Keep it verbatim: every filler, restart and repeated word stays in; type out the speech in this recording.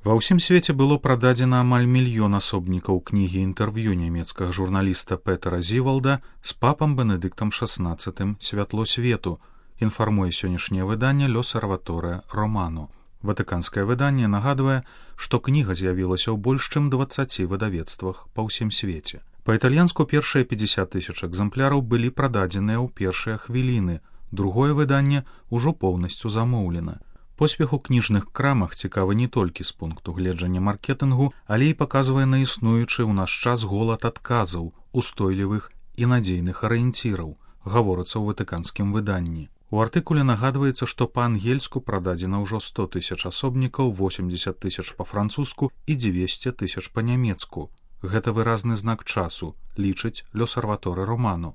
Ва ўсім свеце было прададзена амаль мільён асобнікаў кнігі інтэрв'ю нямецкага журналіста Петера Зівалда з папам Бенедыктам шаснаццатым «Святло свету», інфармуе сённяшняе выданне «L'Osservatore Romano». Ватыканскае выданне нагадвае, што кніга з'явілася ў больш чым дваццаці выдавецтвах па ўсім свеце. Па-італьянску першыя пятьдесят тысяч экземпляраў былі прададзеныя ў першыя хвіліны, другое выданне ўжо поўнасцю замоўлена. Поспех у кніжных крамах цікавы не толькі з пункту гледжання маркетынгу, але і паказвае на існуючы ў наш час голад адказаў, устойлівых і надзейных арыенціраў, гаворыцца ў ватыканскім выданні. У артыкуле нагадваецца, што па-ангельску прададзена ўжо сто тысяч асобнікаў, восемьдесят тысяч па-французску і дзвесце тысяч па-нямецку. Гэта выразны знак часу, лічыць L'Osservatore Romano.